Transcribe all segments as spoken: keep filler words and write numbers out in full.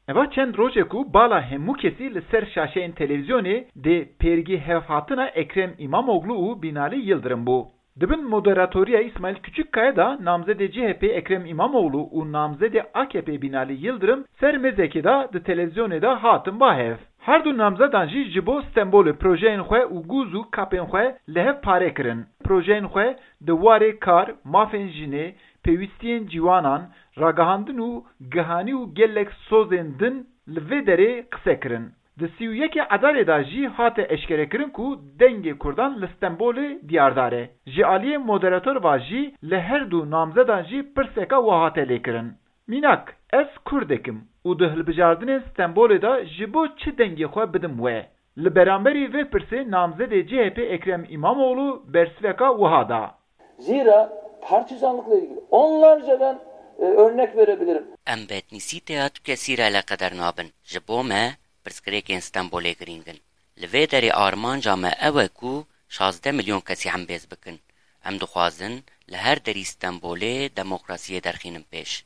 Eva çend rojek û bala hemû kesî li ser şaşeyên televîzyonê dê pêrgî hevhatina Ekrem Îmamoglu û Binalî Yildirim bû. Di bin moderatoriya Îsmaîl Küçükkaya de namzedê C H P Ekrem Îmamoglu û namzedê A K P Binalî Yildirim ser mêzekê de di televîzyonê de hatin ba hev. Her du namzedan jî ji bo Stenbolê projeyên xwe û gûz û kapên xwe li hev pare kirin. Projeyên xwe di warê kar, mafên jinê, pêwîstiyên ciwanan, ragihandin û gihanî û gelek sozên din li vê derê qise kirin. Di sî û yekê Edarê de jî hate eşkerekirin ku dengê Kurdan li Stenbolê diyardar e. Ji aliyê moderator ve jî li her du namzedan jî pirseka we hate lêkirin. Mînak, ez Kurdek im û di hilbijardinên Stenbolê de ji bo çi dengê xwe bidim we? Li beramberî vê pirsê namzedê C H P Ekrem Îmamoğlu bersiveka wiha da. Zira partizanlıkla ilgili onlarca ben e, örnek verebilirim. Em bi etnîsîteya tu kesî re eleqeder nabin. Ji bo me pirsgirêkên Stenbolê girîng in. Li vê derê armanca me ew e ku şazdeh milyon kesî hembêz bikin. Em dixwazin li her derî Stenbolê demokrasiyê derxînin pêş.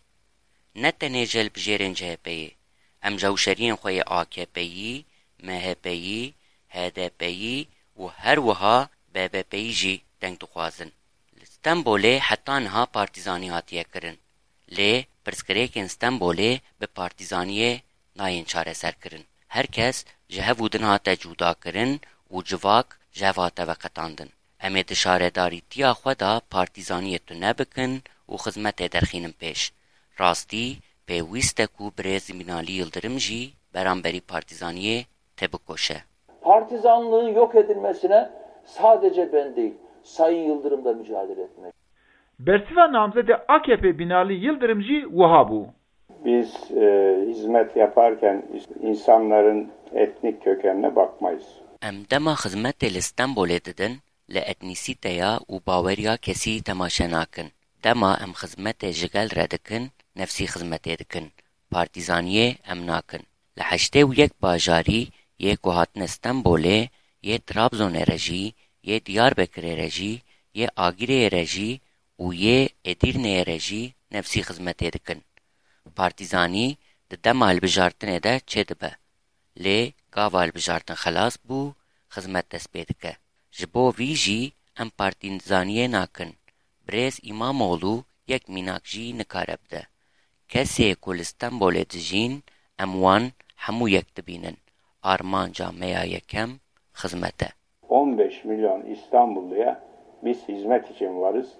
Ne tenê ji hilbijêrên C H P'yê, em ji hewşeriyên xwe yê A K P'yî, M H P'yî, H D P'yî û her wiha B B P'yî jî deng dixwazin. Li Stenbolê heta niha partîzanî hatiye kirin. Lê pirsgirêkên Stenbolê bi partîzaniyê nayên çareserkirin. Her kes ji hev û din hate cudakirin û civak ji hev hate veqetandin. Em ê di şaredarîtiya xwe de partîzaniyê tune bikin û xizmetê derxînin pêş. Rastî, pêwîst e ku birêz Binalî Yildirim jî beramberî partîzaniyê têbikoşe. Partizanlığın yok edilmesine sadece ben değil, Sayın Yıldırım da mücadele etmek. Bersiva namzedê A K P Binalî Yildirim jî wiha bû. Biz e, hizmet yaparken insanların etnik kökenine bakmayız. Em dema xizmetê li Stenbolê didin, li etnîsîteya û baweriya kesî temaşe nakin. Dema em xizmetê ji gel re dikin, nefsî xizmetê dikin. Partîzaniyê em nakin. Li heştê û yek bajarî yê ku hatine Stenbolê, yê Trabzonê re jî, yê Diyarbekirê re jî, yê Agirê re jî û yê Êdîrneyê re jî nefsî xizmetê dikin. Partîzanî di dema hilbijartinê de çêdibe. Lê gava hilbijartin xelas bû, xizmet dest pê dike. Ji bo vî jî em partîzaniyê nakin. Birêz Îmamoğlu yek mînak jî nikare bide. Kesê ku li Stenbolê dijîn, em wan hemû yek dibînin. Armanca me ya yekem xizmet e. on beş milyon İstanbulluya biz hizmet için varız.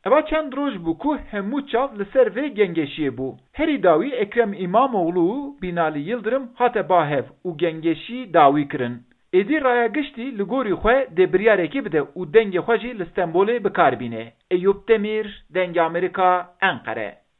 Eva çend roj bû ku hemû çav li ser vê gengeşiyê bû. Herî dawî Ekrem Îmamoğlu û Binalî Yildirim hate ba hev û gengeşî dawî kirin. Êdî raya giştî li gorî xwe dê biryarekê bide û dengê xwe jî li Stenbolê bi kar bîne. Eyûp Demîr, Dengê Amerîka, Enqere.